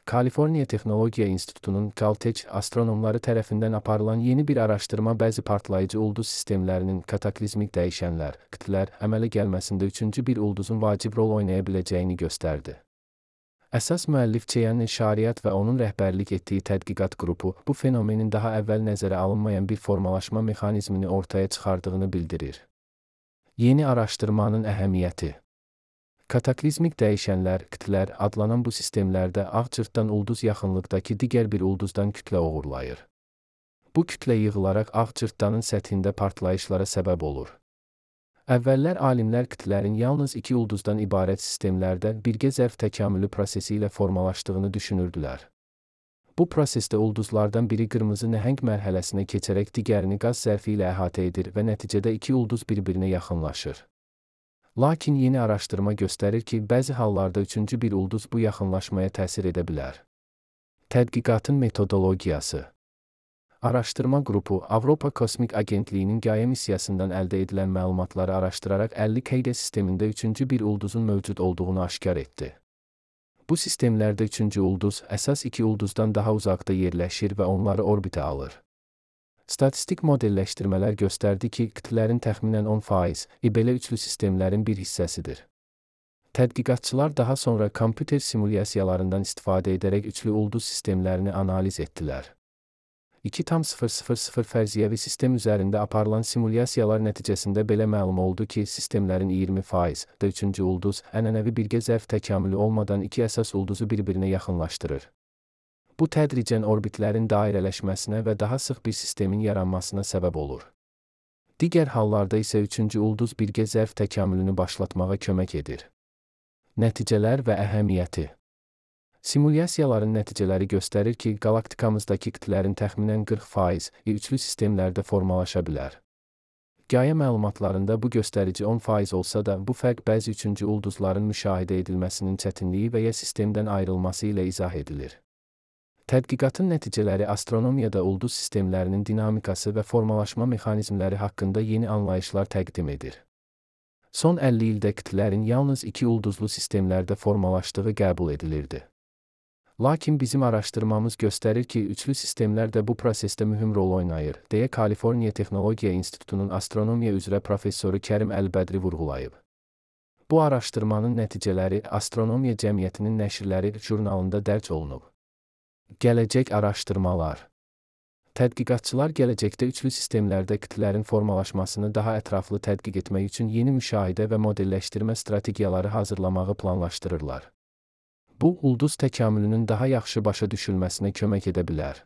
Kaliforniya Texnologiya İnstitutunun Caltech astronomları tərəfindən aparılan yeni bir araşdırma bəzi partlayıcı ulduz sistemlərinin kataklizmik dəyişənlər, kütlələr əmələ gəlməsində üçüncü bir ulduzun vacib rol oynaya biləcəyini göstərdi. Əsas müəllif Çiyanın Şariat və onun rəhbərlik etdiyi tədqiqat qrupu bu fenomenin daha əvvəl nəzərə alınmayan bir formalaşma mexanizmini ortaya çıxardığını bildirir. Yeni araşdırmanın əhəmiyyəti. Kataklizmik dəyişənlər, kütlələr adlanan bu sistemlərdə ağ cırtdan ulduz yaxınlıqdakı digər bir ulduzdan kütlə uğurlayır. Bu kütlə yığılaraq ağ cırtdanın səthində partlayışlara səbəb olur. Əvvəllər alimlər kütlərin yalnız iki ulduzdan ibarət sistemlərdə birgə zərf təkamülü prosesi ilə formalaşdığını düşünürdülər. Bu prosesdə ulduzlardan biri qırmızı nəhəng mərhələsinə keçərək digərini qaz zərfi ilə əhatə edir və nəticədə iki ulduz bir-birinə yaxınlaşır. Lakin yeni araşdırma göstərir ki, bəzi hallarda üçüncü bir ulduz bu yaxınlaşmaya təsir edə bilər. Tədqiqatın metodologiyası. Araşdırma qrupu Avropa Kosmik Agentliyinin Gaia missiyasından əldə edilən məlumatları araşdıraraq 50 KG sistemində üçüncü bir ulduzun mövcud olduğunu aşkar etdi. Bu sistemlərdə üçüncü ulduz əsas iki ulduzdan daha uzaqda yerləşir və onları orbitə alır. Statistik modelləşdirmələr göstərdi ki, kütlələrin təxminən 10% belə üçlü sistemlərin bir hissəsidir. Tədqiqatçılar daha sonra kompüter simulyasiyalarından istifadə edərək üçlü ulduz sistemlərini analiz etdilər. 2,000 fərziyyəvi sistem üzərində aparılan simulyasiyalar nəticəsində belə məlum oldu ki, sistemlərin 20% üçüncü ulduz ənənəvi birgə zərf təkamülü olmadan iki əsas ulduzu bir-birinə yaxınlaşdırır. Bu tədricən orbitlərin dairələşməsinə və daha sıx bir sistemin yaranmasına səbəb olur. Digər hallarda isə üçüncü ulduz birgə zərf təkamülünü başlatmağa kömək edir. Nəticələr və əhəmiyyəti. Simulyasiyaların nəticələri göstərir ki, qalaktikamızdakı kütlərin təxminən 40% üçlü sistemlərdə formalaşa bilər. Gaia məlumatlarında bu göstərici 10% olsa da, bu fərq bəzi üçüncü ulduzların müşahidə edilməsinin çətinliyi və ya sistemdən ayrılması ilə izah edilir. Tədqiqatın nəticələri astronomiyada ulduz sistemlərinin dinamikası və formalaşma mexanizmləri haqqında yeni anlayışlar təqdim edir. Son 50 ildə kütlələrin yalnız iki ulduzlu sistemlərdə formalaşdığı qəbul edilirdi. Lakin bizim araşdırmamız göstərir ki, üçlü sistemlər də bu prosesdə mühüm rol oynayır, deyə Kaliforniya Texnologiya İnstitutunun astronomiya üzrə professoru Kərim Əlbədri vurğulayıb. Bu araşdırmanın nəticələri Astronomiya Cəmiyyətinin nəşrləri jurnalında dərc olunub. Gələcək araşdırmalar. Tədqiqatçılar gələcəkdə üçlü sistemlərdə kütlələrin formalaşmasını daha ətraflı tədqiq etmək üçün yeni müşahidə və modelləşdirmə strategiyaları hazırlamağı planlaşdırırlar. Bu, ulduz təkamülünün daha yaxşı başa düşülməsinə kömək edə bilər.